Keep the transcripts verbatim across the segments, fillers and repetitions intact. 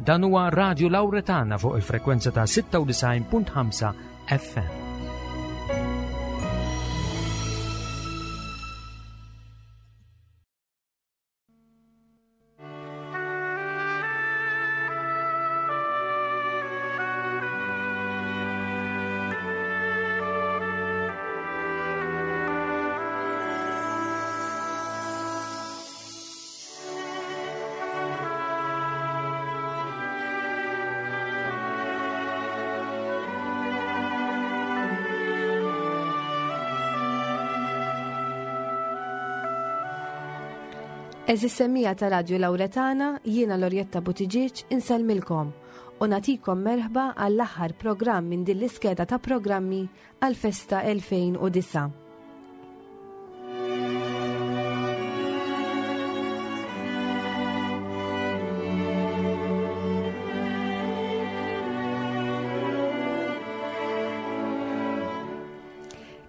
Dan huwa Radio Lauretana fuq il-frekwenza ta' sitta u disgħin punt ħamsa F M. Għeżież semmiegħa ta' Radio Lauretana, jiena Lorjetta Buttigieg insellmilkom u nagħtikom merħba għall-aħħar programm minn din l-iskeda ta' programmi għal-festa elfejn u disgħa.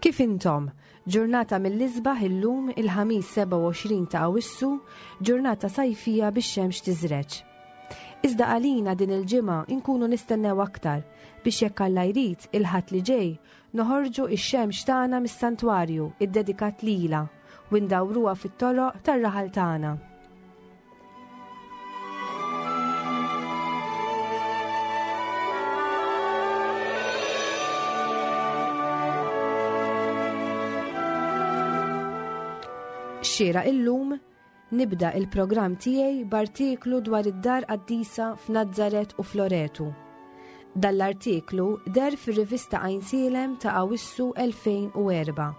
Kif intom? Ġurnata mill-isbaħ illum, il-Ħamis sebgħa u għoxrin ta' Awissu, ġurnata sajfija bix-xemx tiżreġ. Iżda għalina din il-ġimgħa inkunu nistennew aktar biex, jekk Alla jrid, il-Ħadd li ġej noħorġu ix-xemx tagħna mis-santwarju iddedikat lila u ndawruha fit-toroq tar-raħal tagħna. Xira illum nibda il-programm tiegħi b'artiklu dwar id-dar qaddisa f'Nazzaret u f'Loretu. Dan l-artiklu deher fir-rivista Għajnsielem ta' Awissu elfejn u erbgħa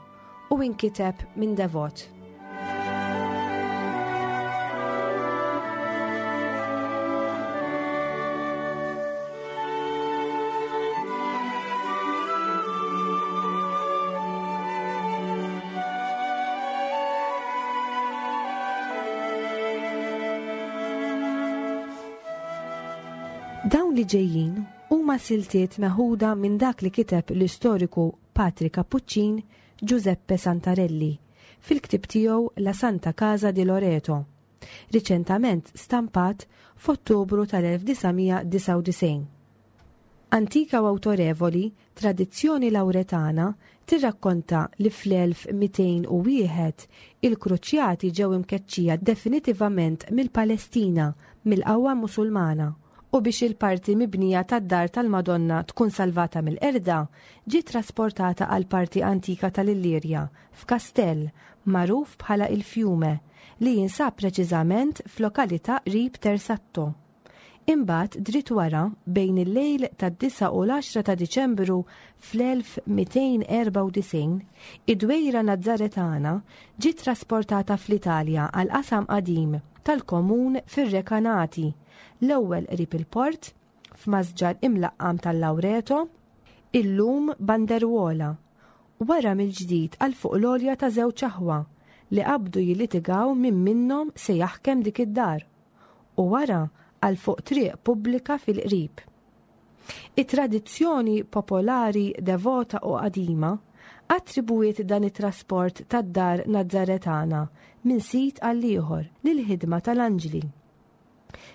u inkiteb minn devot. Dawn li ġejjin huma siltiet meħuda minn dak li kiteb l-istoriku Patri Cappuccin Giuseppe Santarelli fil-ktib tiegħu La Santa Casa di Loreto, riċentament stampat f'Ottubru tal-elf disa' mija disgħa u disgħin. Antika u autorevoli, tradizzjoni lauretana tirrakkonta li fl-elf mitejn u wieħed il-Kruċjati ġew imkeċċija definitivament mill-Palestina mill-qawwa Musulmana u biex il-parti mibnija tad-dar tal-Madonna tkun salvata mill-qerda, ġiet trasportata għal parti antika tal-Illirja f'kastell magħruf bħala il-Fjume li jinsab preċiżament f'lokalità qrib Tersatto. Imbagħad, dritt wara, bejn il-lejl tad-disgħa u l-għaxra ta' Diċembru fl-elf mitejn erbgħa u disgħin, id-dwejra Nazzaretana ġiet trasportata fl-Italja għal qasam qadim tal-komun fir-Rekanati, l-ewwel qrib il-port f'masġar imlaqqam tal-Laureto, illum Banderuola, wara mill-ġdid għal fuq l-għolja ta' żewġ aħwa li qabdu jilitigaw min minnhom se jaħkem dik id-dar, u wara għal fuq triq pubblika fil-qrib. It-tradizzjoni popolari devota u qadima attribuiet dan it-trasport tad-dar Nazzaretana minn sit għal ieħor lil ħidma tal-anġli.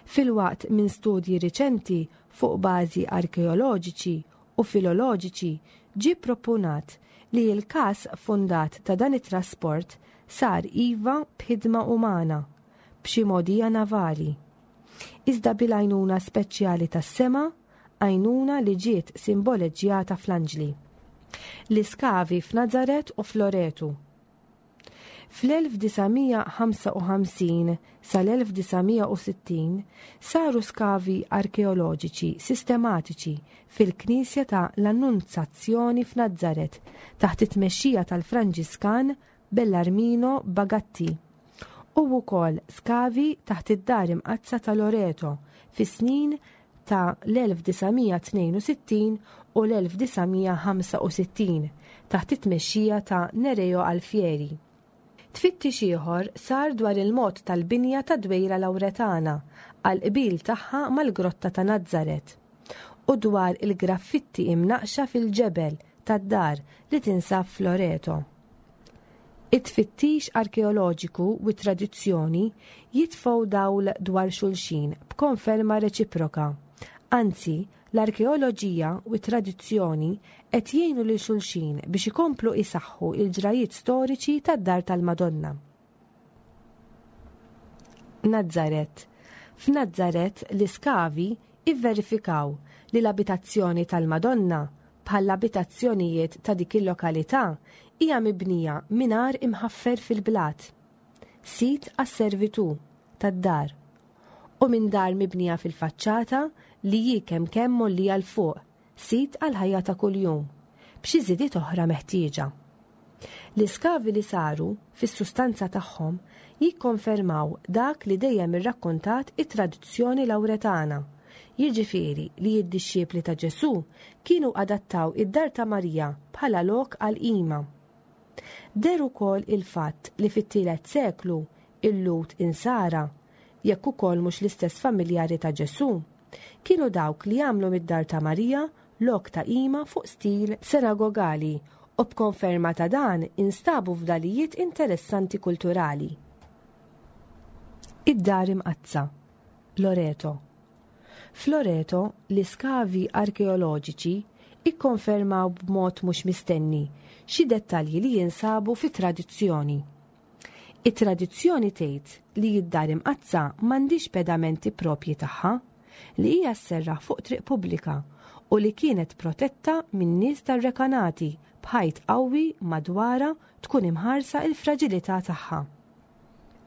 Filwaqt minn studji riċenti fuq bażi arkeoloġiċi u filoloġiċi ġi proponat li l-kas fondat ta' dan it-trasport sar iva b'ħidma umana, b'xi mogħdija navali. Iżda bil-għajnuna speċjali tas-sema, għajnuna li ġiet simboleġġjata fl-anġli. L-iskavi f'Nazaret u f'Loretu. Fl-elf disa' mija ħamsa u ħamsin sal-elf disa' mija u sittin saru skavi arkeoloġiċi sistematiċi fil-Knisja ta' l-Annunzazzjoni f'Nazzaret taħt it-tmexxija tal-Franġiskan Bellarmino Bagatti u wkoll skavi taħt id-dar imqaddsa ta' Loreto fis-snin ta' l-elf disa' mija tnejn u sittin u l-elf disa' mija ħamsa u sittin taħt it-tmexxija ta' Nereo Alfieri. Tfittix ieħor sar dwar il-mod tal-binja ta' Dwejra Lauretana għal qbil tagħha mal-Grotta ta' Nazzaret u dwar il-graffitti imnaqxa fil-ġebel tad-dar li tinsab f'Loreto. It-tfittix arkeoloġiku u t-tradizzjoni jitfgħu dawl dwar xulxin b'konferma reċiproka. Anzi, l-arkeoloġija u t-tradizzjoni qed jgħinu lil xulxin biex ikomplu isaħħu il-ġrajiet storiċi tad-Dar tal-Madonna. Nazzaret. F'Nazzaret l-iskavi ivverifikaw li l-abitazzjoni tal-Madonna bħall-abitazzjonijiet ta' dik il-lokalità hija mibnija minn għar imħaffer fil-blat, sit għas-servitù tad-dar, u minn dar mibnija fil-faċċata li hi kemm kemm mgħollija 'l fuq, sit għall-ħajja ta' kuljum, b'xi żidiet oħra meħtieġa. L-iskavi li saru, fis-sustanza tagħhom, jikkonfermaw dak li dejjem irrakkontat it-tradizzjoni Lawretana, jiġifieri li d-dixxipli ta' Ġesù kienu adattaw id-dar ta' Marija bħala lok għall-qima. Deher ukoll il-fatt li fit-tielet seklu il-Lhud Insara, jekk ukoll mhux l-istess familjari ta' Ġesù, kienu dawk li għamlu mid-dar ta' Marija lok ta' qima fuq stil sinagogali u b'konferma ta' dan instabu fdalijiet interessanti kulturali. Id-Dar Imqaddsa, Loreto. F'Loreto, l-iskavi arkeoloġiċi ikkonfermaw b'mod mhux mistenni xi dettalji li jinsabu fit-tradizzjoni. It-tradizzjoni tgħid li d-Dar Imqaddsa m'għandhiex pedamenti propji tagħha, li hija sserraħ fuq triq pubblika u li kienet protetta minn nies tar-Rekanati b'ħajt qawwi madwarha tkun imħarsa l-fraġilità tagħha.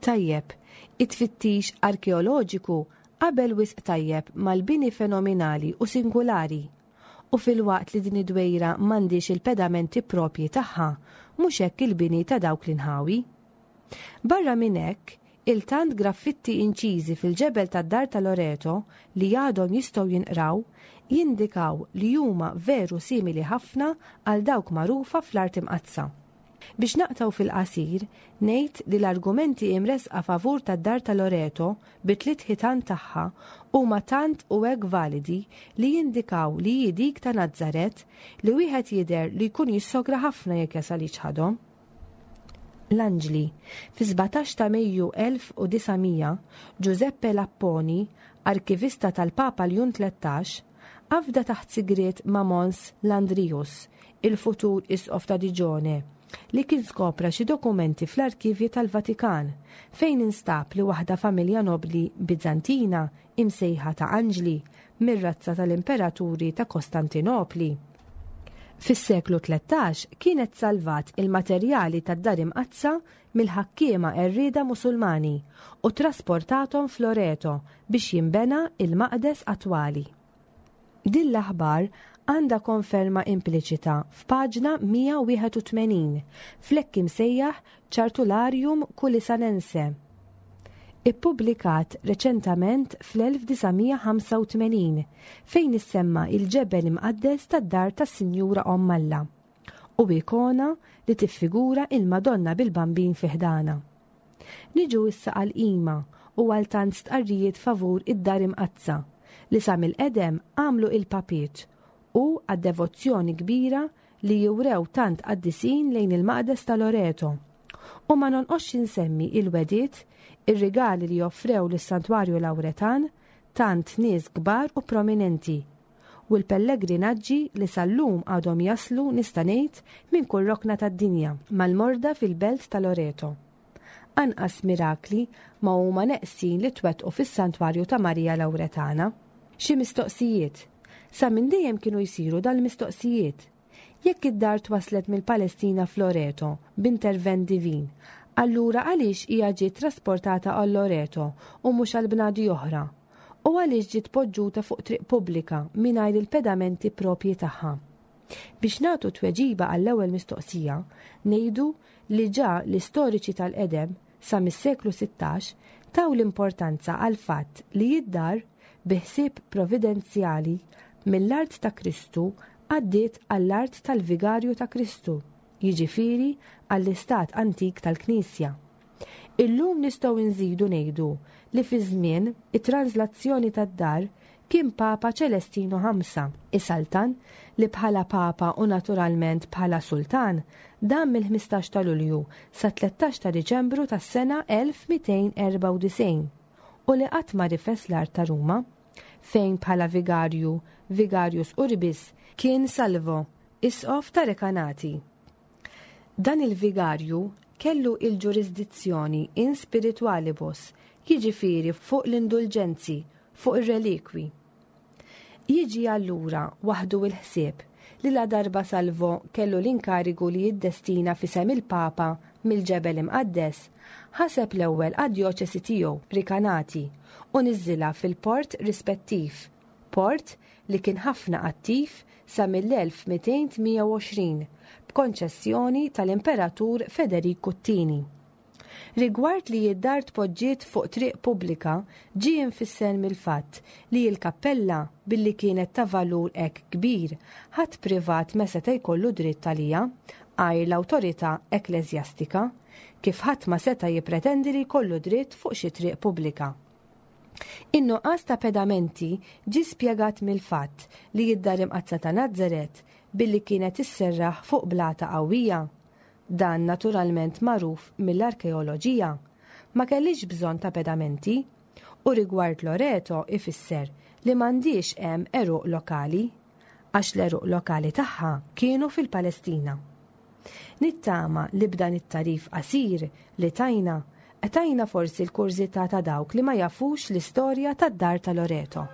Tajjeb, it-tfittix arkeoloġiku qabel wisq tajjeb mal-bini fenomenali u singulari, u filwaqt li din id-dwejra m'għandhiex il-pedamenti propji tagħha, mhux hekk il-bini ta' dawk l-inħawi. Barra minn hekk, il-tant graffitti inċiżi fil-ġebel tad-dar ta' Loreto li għadhom jistgħu jinqraw jindikaw li huma veru simili ħafna għal dawk magħrufa fl-Art Imqaddsa. Biex naqtaw fil-qasir, ngħid li l-argumenti imresqa favur tad-dar ta' Loreto bi tliet ħitan tagħha huma tant u hekk validi li jindikaw li hi dik ta' Nazzaret li wieħed jidher li jkun jissogra ħafna jekk jasal jiċħadhom. L-Anġli, fi sbatax ta' Mejju elf u disa' mija, Giuseppe Lapponi, arkivista tal-Papa Ljun tlettax, afda taħt sigriet ma' Mons Landrius, il-futur isqof ta' Diġone, li kien skopra xi dokumenti fl-arkivji tal-Vatikan, fejn instab li waħda familja nobli Bizantina imsejħa ta' Anġli mir-razza tal-imperaturi ta' Kostantinopli. Fis-seklu tlettax kienet salvat il-materjali tad-Dar Imqaddsa mill-ħakkiema qerrieda Musulmani u trasportathom f'Loreto biex jinbena il-maqdes attwali. Din l-aħbar għandha konferma impliċita f'paġna mija u wieħed u tmenin fl-hekk imsejjaħ Chartularium Culisanense. Ippubblikat reċentament fl-elf disa' mija ħamsa u tmenin fejn issemma il-ġebel imqaddes tad-dar tas-Sinjura Omm Alla u ikona li tiffigura il-Madonna bil-Bambin fi ħdana. Niġu issa għal-qima u għal tant stqarrijiet favur id-Dar Imqaddsa li sa mill-qedem għamlu il-papiet u għad-devozzjoni kbira li jurew tant qaddisin lejn il-maqdes ta' Loreto. U ma nonqosx insemmi il-wediet, ir-rigali li joffrew lis-Santwarju Lawretan tant nies kbar u prominenti, u l-pellegrinaġġi li sal-lum għadhom jaslu nista' ngħid minn kull rokna tad-dinja mal-morda fil-belt ta' Loreto. Anqas mirakli ma huma neqsin li twettqu fis-Santwarju ta' Marija Lawretana. Xi mistoqsijiet. Sa minn dejjem kienu jsiru dal-mistoqsijiet. Jekk id-dar twaslet mill-Palestina f'Loreto b'intervent divin, allura għaliex hija ġiet trasportata għal Loreto u mhux għal bnadi oħra? U għaliex ġiet poġġuta fuq triq pubblika mingħajr il-pedamenti propji tagħha? Biex nagħtu tweġiba għall-ewwel mistoqsija, ngħidu li ġa l-istoriċi tal-qedem sa mis-seklu sittax taw l-importanza għal fatt li id-dar bi ħsieb providenzjali mill-art ta' Kristu għaddiet għall-art tal-Vigarju ta' Kristu, jiġifieri għall-istat antik tal-Knisja. Illum nistgħu nżidu ngħidu li fi żmien it-translazzjoni tad-dar kien Papa Ċelestinu ħamsa, is-Sultan li bħala Papa u naturalment bħala Sultan dam mill-ħmistax ta' Lulju sa tlettax ta' Diċembru tas-sena elf mitejn erbgħa u disgħin u li qatt ma rifes l-art ta' Ruma, fejn bħala vigarju, Vigarius Urbis, kien Salvo, isqof ta' Recanati. Dan il-vigarju kellu il-ġurisdizzjoni in spiritualibus, jiġifieri fuq l-indulġenzi, fuq ir-relikwi. Jiġi allura waħdu il-ħsieb li la darba Salvo kellu l-inkarigu li jiddestina f'isem il-Papa mill-ġebel imqaddes, ħaseb l-ewwel għad-djoċesi tiegħu Recanati u niżżilha fil-port rispettiv, port li kien ħafna attiv sa mill-elf mitejn tmija u għoxrin b'konċessjoni tal-Imperatur Federiku t-tieni. Rigward li id-dar tpoġġiet fuq triq pubblika ġie infisser mill-fatt li l-kappella billi kienet ta' valur hekk kbir ħadd privat ma seta' jkollu dritt għaliha għajr l-awtorità ekkleżjastika, kif ħadd ma seta' jippretendi li jkollu dritt fuq xi triq pubblika. In-nuqqas ta' pedamenti ġie spjegat mill-fatt li id-dar imqaddsa ta' Nazaret billi kienet isserraħ fuq blata qawwija, dan naturalment magħruf mill-arkeoloġija, ma kellix bżonn ta' pedamenti, u rigward Loreto ifisser li m'għandix hemm għeruq lokali, għax l-għeruq lokali tagħha kienu fil-Palestina. Nittama li b'dan it-tarif qasir li tajna, tajna forsi l-kurżità ta' dawk li ma jafux l-istorja tad-dar ta' Loreto.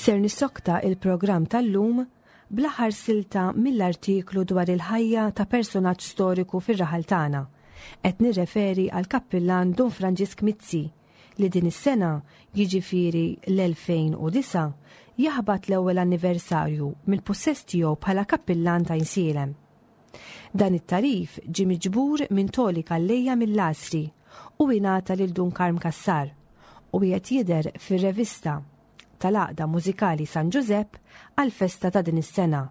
Ser nissokta il-programm tal-lum bl-aħħar silta mill-artiklu dwar il-ħajja ta' personaġġ storiku fir-raħal tagħna. Qed nirreferi għal kappillan Dun Franġisk Mizzi li din is-sena, jiġifieri l-elfejn u disgħa, jaħbat l-ewwel anniversarju mill-pussess tiegħu bħala kappillan ta' Għajnsielem. Dan it-tarif ġie miġbur minn Toli Calleja mill-Għasri u ingħata lil Dun Karm Cassar u qiegħed jidher fir-revista tal-Għaqda Mużikali San Ġużepp għal-festa ta' din is-sena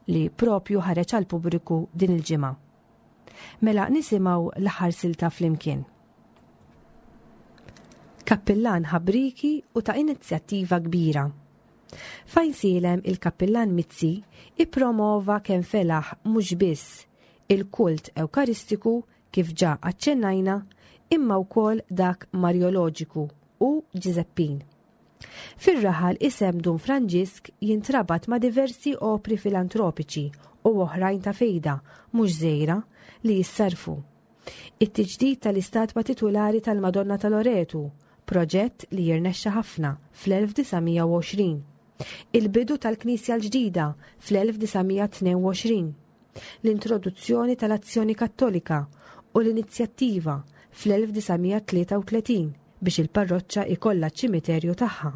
li propju ħareġ għal pubbliku din il-ġimgħa. Mela nisimgħu l-aħħar silta flimkien. Kappillan ħabriki u ta' inizjattiva kbira. F'Għajnsielem il-Kappillan Mizzi ippromova kemm felaħ mhux biss il-kult ewkaristiku kif ġa aċċennajna, imma wkoll dak marjoloġiku u Ġiżeppin. Fir-raħal isem Dun Franġisk jintrabat ma' diversi opri filantropiċi u oħrajn ta' fejda mhux żgħira li jissarfu. It-tiġdid tal-istatwa titulari tal-Madonna ta' Loretu, proġett li jirnexxa ħafna fl-elf disa' mija u għoxrin. Il-bidu tal-Knisja l-ġdida fl-elf disa' mija tnejn u għoxrin. L-introduzzjoni tal-Azzjoni Kattolika u l-inizjattiva fl-elf disa' mija tlieta u tletin biex il-parroċċa ikollha ċimiterju tagħha.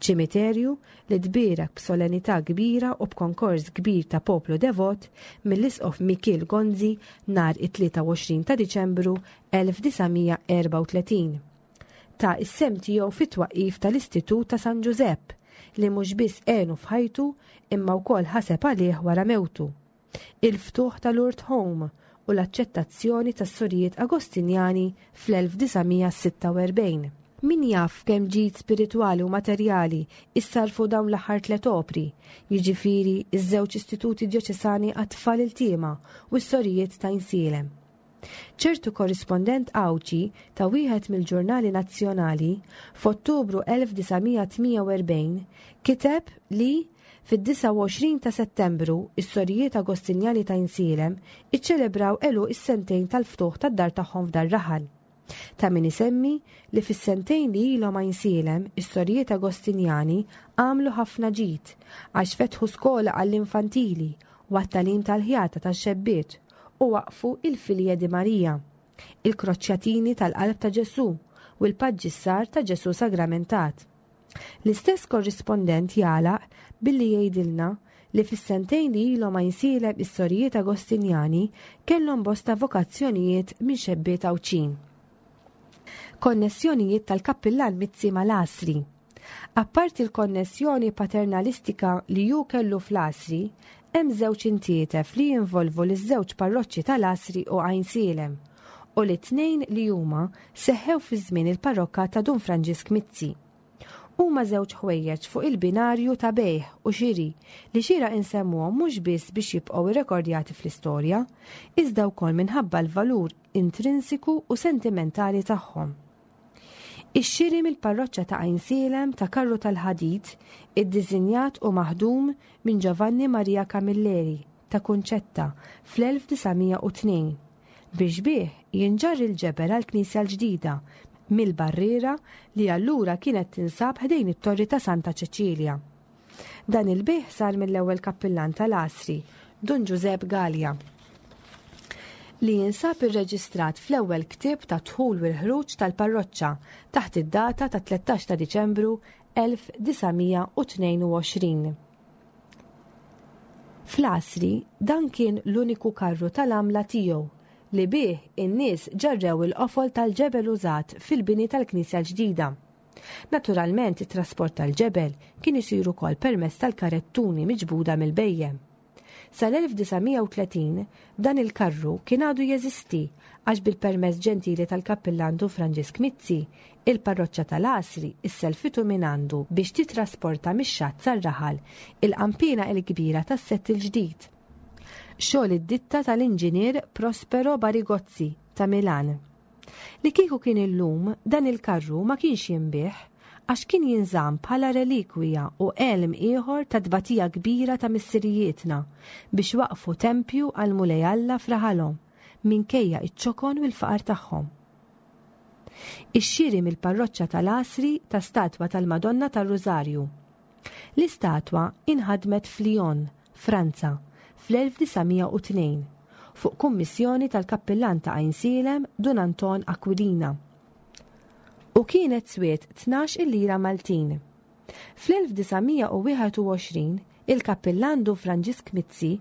Ċimiterju li tbierek b'solennità kbira u b'konkors kbir ta' poplu devot mill-Isqof Mikiel Gonzi nhar it-tlieta u għoxrin ta' Diċembru elf disa' mija erba' u tletin. Ta' is-sem tiegħu fit-twaqqif tal-Istitut ta' San Ġużepp li mhux biss għenu f'ħajtu imma wkoll ħaseb għalih wara mewtu. Il-ftuħ tal-Lourdes Home u l-aċċettazzjoni tas-sorijiet Agostinjani fl-elf disa' mija sitta u erbgħin. Min jaf kemm ġid spiritwali u materjali issarfu dawn l-aħħar tliet opri, jiġifieri iż-żewġ istituti djoċesani għat-tfal iltiema u s-sorijiet ta' Għajnsielem. Ċertu korrispondent Għawdxi ta' wieħed mill-ġurnali nazzjonali f'Ottubru elf disa' mija tmija u erbgħin kiteb li fid-disgħa u għoxrin ta' Settembru is-sorijiet Agostinjani ta' Għajnsielem iċċelebraw għeluq is-sentejn tal-ftuħ tad-dar tagħhom f'dar raħal. Ta' min isemmi li fis-sentejn li ilhom Għajnsielem is-sorijiet Agostinjani għamlu ħafna ġid għax fetħu skola għall-infantili u għat-tagħlim tal-ħjata tax-xebbiet u waqfu il-Filje di Maria, il-Kroċjatini tal-Qalb ta' Ġesù u l-Paġġissar ta' Ġesù Sagramentat. L-istess korrispondent jagħlaq billi jgħidilna li fis-sentejn li ilhom Għajnsielem is-sorijiet Agostinjani kellhom bosta vokazzjonijiet minn xebbiet Għawdxin. Konnessjonijiet tal-Kappillan Mizzi mal-Għasri. Apparti l-konnessjoni paternalistika li ju kellu fl-Għasri, hemm żewġ intietef li jinvolvu liż-żewġ parroċċi tal-Għasri u Għajnsielem u li tnejn li huma seħħew fi żmien il-parrokka ta' Dun Franġisk Mizzi. Huma żewġ ħwejjeġ fuq il-binarju ta' bejħ u xiri li xira insemmuhom mhux biss biex jibqgħu irrekordjati fl-istorja, iżda wkoll minħabba l-valur intrinsiku u sentimentali tagħhom. Ix-xiri mill-parroċċa ta' Għajnsielem ta' karru tal-ħadid iddisinjat u maħdum minn Giovanni Maria Camilleri ta' Kunċetta fl-elf disa' mija u tnejn biex bih jinġarr il-ġebel għall-Knisja l-ġdida mill-barriera li allura kienet tinsab ħdejn it-torri ta' Santa Ċeċilja. Dan il-bih sar mill-ewwel kappillan tal-Għasri, Dun Ġużepp Galea, li jinsab irreġistrat fl-ewwel ktieb ta' dħul u l-ħruġ tal-parroċċa taħt id-data ta' tlettax ta' Diċembru elf disa' mija u tnejn u għoxrin. Fl-Għasri dan kien l-uniku karru tal-għamla tiegħu li bih in-nies ġarrew il-qofol tal-ġebel użat fil-bini tal-Knisja l-ġdida. Naturalment, it-trasport tal-ġebel kien isir ukoll permezz tal-karettuni miġbuda mill-bejjem. Sal-elf disa' mija u tletin dan il-karru kien għadu jeżisti għax bil-permess ġentili tal-kappillan Dun Franġisk Mizzi, il-parroċċa tal-Għasri isselfitu minn għandu biex titrasporta mix-xatt sar-raħal il-qampina il-kbira tas-sett il-ġdid. Xogħol id-ditta tal-inġinier Prospero Barigozzi ta' Milan. Li kieku kien illum dan il-karru ma kienx jinbih għax kien jinżamm bħala relikwija u elm ieħor ta' tbatija kbira ta' missirijietna biex waqfu tempju għal Mulej Alla f'raħalhom minkejja iċ-ċokon u l-faqar tagħhom. Ix-xiri mill-parroċċa tal-Għasri ta' statwa tal-Madonna tar-Rużarju. L-istatwa inħadmet f'Lyon, Franza, fl-elf disa' mija u tnejn, fuq kummissjoni tal-kappillan ta' Għajnsielem Dun Anton Aquilina. U kienet swiet tnax il-lira Maltin. Fl-elf disa' mija u wieħed u għoxrin, il-kappillan Dun Franġisk Mizzi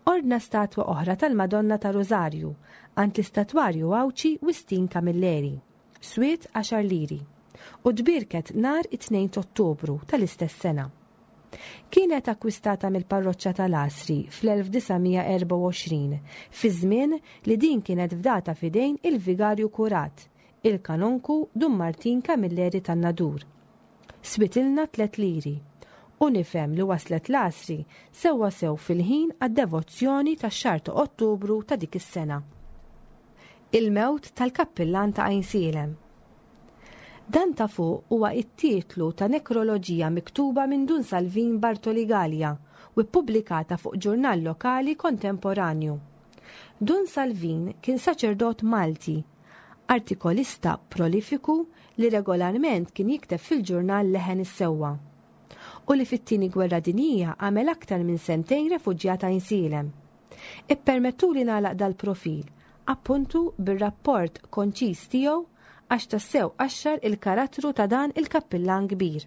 ordna statwa oħra tal-Madonna ta' Rosario għand l-istatwarju Għawdxi Wistin Camilleri, swiet għaxar liri, u tbierket nhar it-tnejn ta' Ottubru tal-istess sena. Kienet akkwistata mill-parroċċa tal-Għasri fl-elf disa' mija erbgħa u għoxrin, fi żmien li din kienet fdata f'idejn il-vigarju kurat, il-kanonku Dun Martin Camilleri tan-Nadur. Switilna tliet liri, u nifhem li waslet l-Għasri sewwa sew fil-ħin għad-devozzjoni tax-xahar ta' Ottubru ta' dik is-sena. Il-mewt tal-kappillan ta' Għajnsielem. Dan ta' fuq huwa it-titlu ta' nekroloġija miktuba minn Dun Salvin Bartoli Gallia u ppubblikata fuq ġurnal lokali kontemporanju. Dun Salvin kien saċerdot Malti, artikolista prolifiku li regolarment kien jikteb fil-ġurnal Leħen is-Sewwa, u li fit-tieni gwerra dinjija għamel aktar minn sentejn refuġjat Għajnsielem. Ippermettuli nagħlaq dal-profil, appuntu bir-rapport konċis tiegħu għax tassew qaxxar il-karattru ta' dan il-kappillan kbir.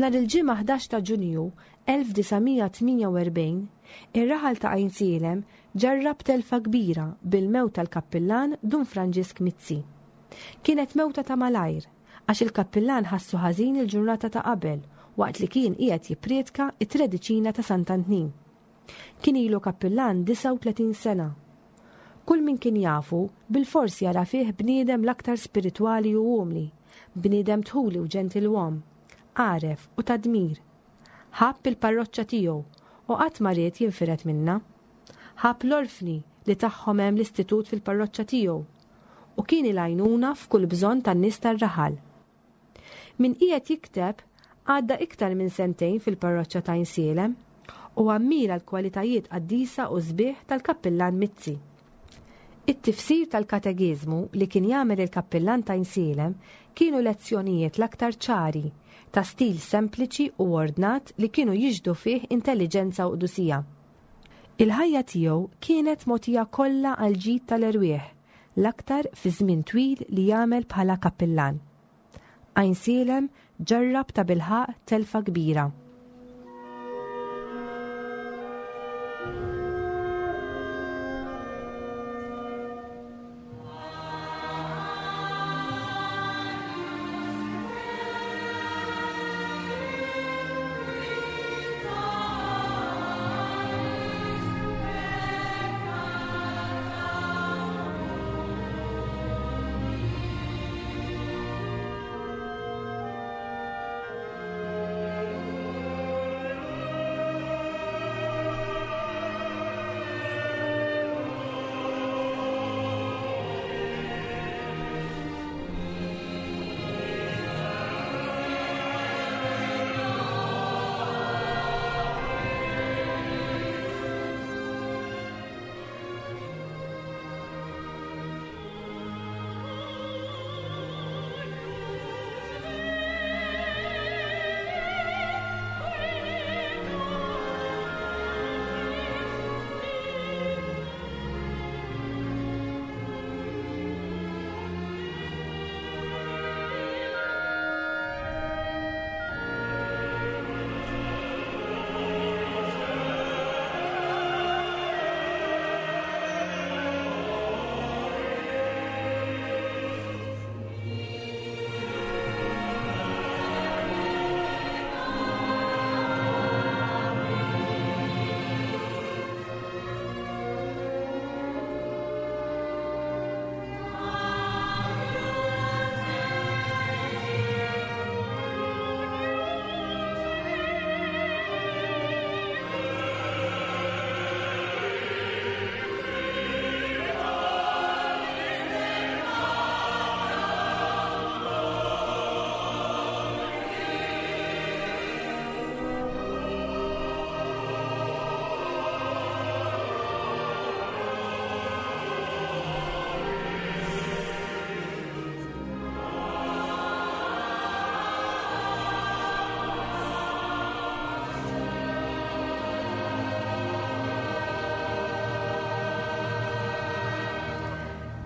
Nhar il-ġimgħa ħdax ta' Ġunju elf disa' mija tmienja u erbgħin, ir-raħal ta' Għajnsielem ġarrab telfa kbira bil-mewt tal-kappillan Dun Franġisk Mizzi. Kienet mewta ta' malajr, għax il-kappillan ħassu ħażin il-ġurnata ta' qabel waqt li kien qiegħed jipprietka it-trediċina ta' Sant'Antnin. Kien ilu kappillan disgħa u tletin sena. Kull min kien jafu bil-fors jara fih bniedem l-aktar spiritwali u umli, bniedem tħuli u ġentilwom, għaref u tadmir. Ħabb il-parroċċa tiegħu u qatt ma ried jinfired minnha. Ħabb l-orfni li tagħhom hemm l-istitut fil-parroċċa tiegħu u kien il-għajnuna f'kull bżonn tan-nies tar-raħal. Min qiegħed jikteb għadda iktar minn sentejn fil-parroċċa ta' Għajnsielem u ammira l-kwalitajiet qaddisa u sbieħ tal-kappillan Mizzi. It-tifsir tal-katekiżmu li kien jagħmel il-kappillan ta' Għajnsielem kienu lezzjonijiet l-aktar ċari, ta' stil sempliċi u ordnat li kienu jiġdu fih intelligenza u qdusija. Il-ħajja tiegħu kienet mogħtija kollha għal ġid tal-erwieħ, l-aktar fi żmien twil li jagħmel bħala kappillan. Għajnsielem ġarrab ta' bilħaq telfa kbira.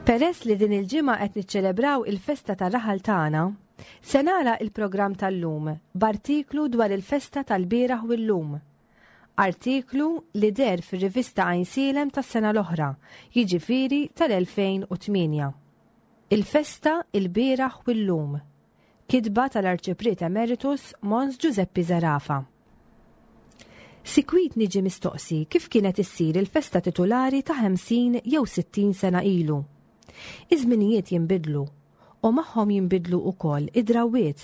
Peress li din il-ġimgħa qed niċċelebraw il-festa tar-raħal tagħna, se nara il-programm tal-lum b'artiklu dwar il-festa tal-bieraħ u llum. Artiklu li deher fir-rivista Għajnsielem tas-sena l-oħra, jiġifieri tal-elfejn u tmienja. Il-festa il-bieraħ u llum. Kitba tal-Arċipriet Emeritus Mons Giuseppe Zerafa. Sikwit niġi mistoqsi kif kienet issir il-festa titulari ta' ħamsin jew sittin sena ilu. Iż-żminijiet jinbidlu u magħhom jinbidlu wkoll id-drawwiet.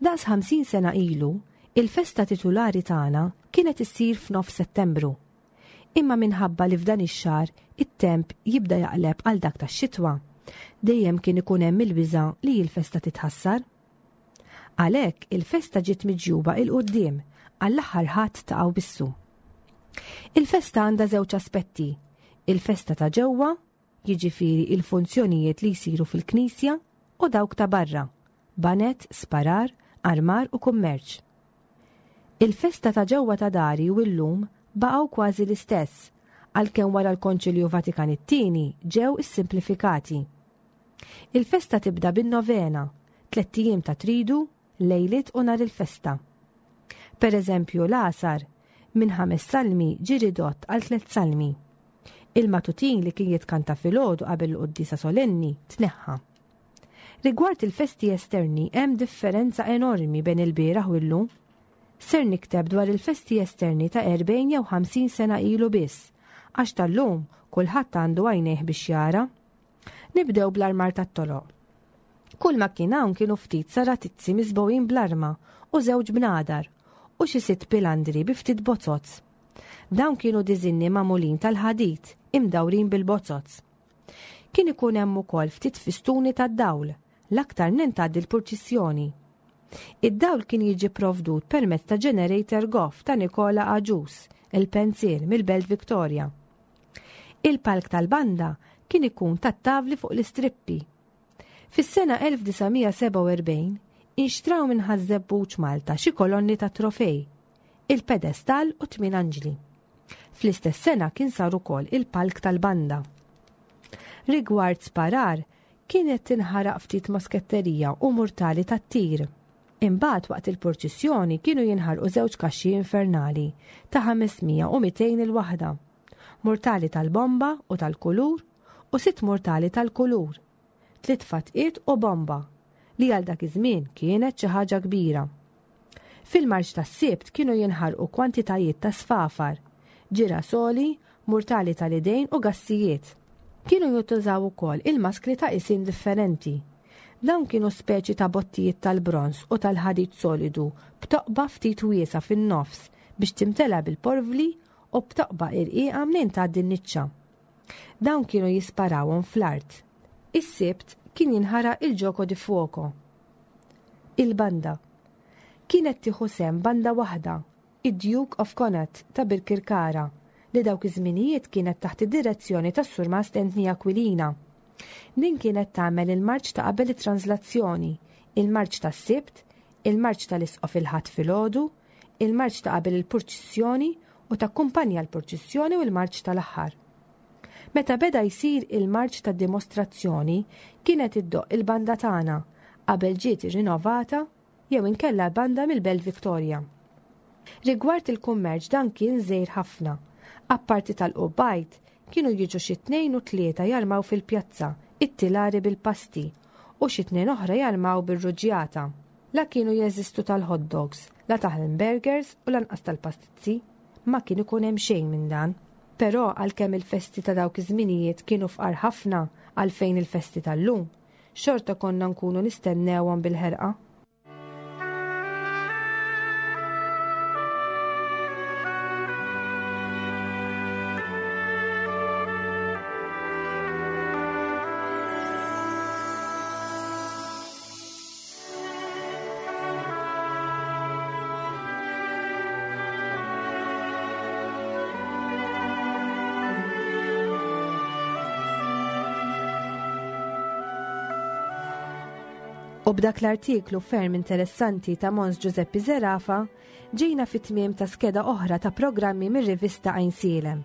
Daqs ħamsin sena ilu, il-festa titulari tagħna kienet issir f'nofs Settembru. Imma minħabba li f'dan ix-xahar it-temp jibda jaqleb għal dak tax-xitwa, dejjem kien ikun hemm il-biża' li l-festa titħassar. Għalhekk il-festa ġiet miġjuba il quddiem għall-aħħar Ħadd ta' Awwissu. Il-festa għandha żewġ aspetti, il-festa ta' ġewwa, jiġifieri il-funzjonijiet li jsiru fil-knisja, u dawk ta' barra, banet, sparar, armar u kummerċ. Il-festa ta' ġewwa ta' dari u llum baqgħu kważi l-istess, għalkemm wara l-Konċilju Vatikan it-tieni ġew issimplifikati. Il-festa tibda bin-novena, tlett ijiem ta' tridu, lejliet u nhar il-festa. Per eżempju, l-għasar minn ħames salmi ġie ridott għal tliet salmi. Il-matutin li kien jitkanta filgħodu qabel il-quddiesa solenni tneħħa. Rigward il-festi esterni hemm differenza enormi bejn il-bieraħ u llum. Ser nikteb dwar il-festi esterni ta' erbgħin jew ħamsin sena ilu biss, għax tal-lum kulħadd għandu għajnejh biex jara. Nibdew bl-armar tat-toloq. Kull ma kien hawn kienu ftit saratizzi miżbogħin bl-arma u żewġ bnadar u xi sitt pilandri bi ftit bozoz. Dawn kienu diżinni magħmulin tal-ħadid imdawrin bil-bozoz. Kien ikun hemm ukoll ftit fistuni tad-dawl, l-aktar nintgħaddi l-purċissjoni. Id-dawl kien jiġi provdut permezz ta' generator goff ta' Nikola Agius, il-pensier mill-Belt Victoria. Il-palk tal-banda kien ikun tat-tavli fuq l-istrippi. Fis-sena elf disa' mija sebgħa u erbgħin inxtraw minn Ħaż-Żebbuġ Malta xi kolonni ta' trofej, il-pedestal u tmien anġli. Fl-istess sena kien sar ukoll il-palk tal-banda. Rigward sparar, kienet tinħaraq ftit mosketterija u murtali tat-tir. Imbagħad waqt il-purċissjoni kienu jinħarqu żewġ kaxxi infernali ta' ħames mija u mitejn il-waħda, murtali tal-bomba u tal-kulur u sitt murtali tal-kulur, tliet fatqiet u bomba, li għal dak iż-żmien kienet xi ħaġa kbira. Fil-marċ tas-Sibt kienu jinħarqu kwantitajiet ta' sfafar, ġirasoli, murtali tal-idejn u gassijiet. Kienu jintużaw ukoll il-maskri ta' isin differenti. Dawn kienu speċi ta' bottijiet tal-bronż u tal-ħadid solidu b'toqba ftit wiesa' fin-nofs biex timtela bil-porvli u b'toqba irqiqa minn tgħaddi n-niċċa. Dawn kienu jisparawhom fl-art. Is-Sibt kien jinħaraq il-gioco di fuoco. Il-banda. Kienet tieħu sehem banda waħda, id-Duke of Connaught ta' Birkirkara, li dawk iż-żminijiet kienet taħt id-direzzjoni tas-Surmast Anthony Aquilina. Din kienet tagħmel il-marċ ta' qabel it-translazzjoni, il-marċ tas-Sibt, il-marċ tal-Isqof il-Ħadd filgħodu, il-marċ ta' qabel il-purċissjoni u takkumpanja l-purċissjoni u l-marċ tal-aħħar. Meta beda jsir il-marċ ta' dimostrazzjoni, kienet iddoqq il-banda tagħna qabel ġiet irrinnovata jew inkella banda mill-Belt Victoria. Rigward il-kummerċ dan kien żgħir ħafna. Apparti tal-qubbajt, kienu jiġu xi tnejn u tlieta jarmaw fil-pjazza, it-tilari bil-pasti, u xi tnejn oħra jarmaw bir-ruġjata. La kienu jeżistu tal-hot dogs, la tal-hamburgers u lanqas tal-pastizzi, ma kien ikun hemm xejn minn dan. Però għalkemm il-festi ta' dawk iż-żminijiet kienu fqar ħafna għalfejn il-festi tal-lum, xorta konna nkunu nistennewhom bil-ħerqa. U b'dak l-artiklu ferm interessanti ta' Mons Giuseppe Zerafa, ġejna fit-tmiem ta' skeda oħra ta' programmi mir-rivista Għajnsielem.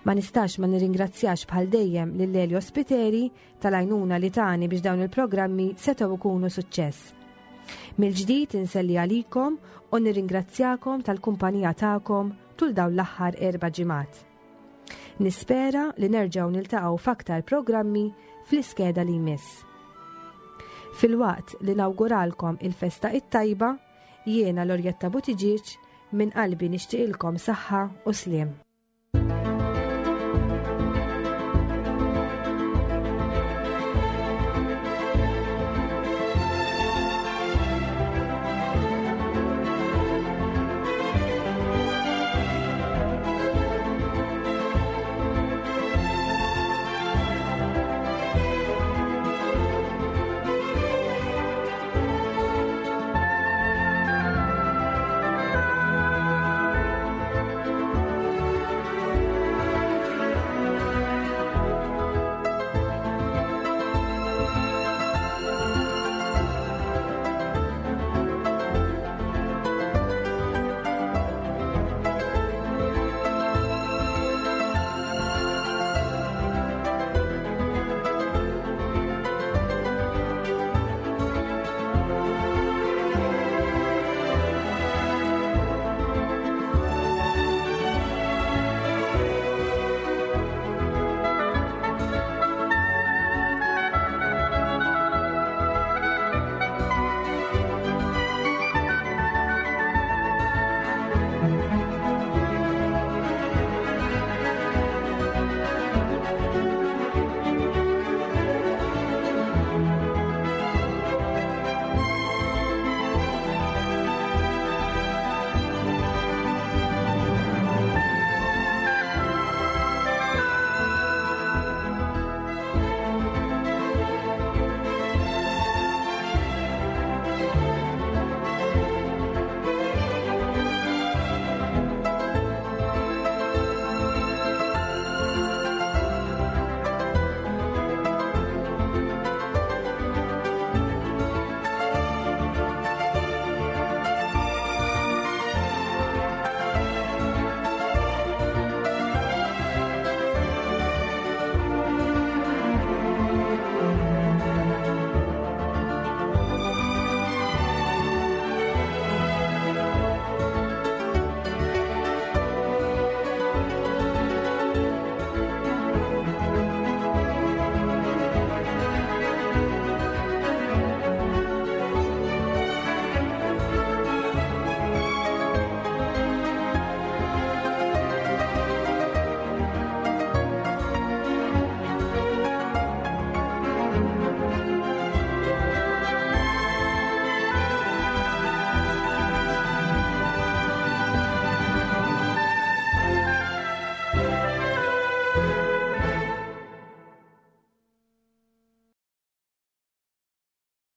Ma nistax ma nirringrazzjax bħal dejjem lil Elio Spiteri tal-għajnuna li tani biex dawn il-programmi setgħu ikunu suċċess. Mill-ġdid inselli għalikom u nirringrazzjakom tal-kumpanija tagħkom tul dawn l-aħħar erba' ġimgħat. Nispera li nerġgħu niltaqgħu f'aktar programmi fl-iskeda li jmiss. Filwaqt li nawguralkom il-festa it-tajba, jiena Lorjetta Buttigieg minn qalbi nixtieqilkom saħħa u sliem.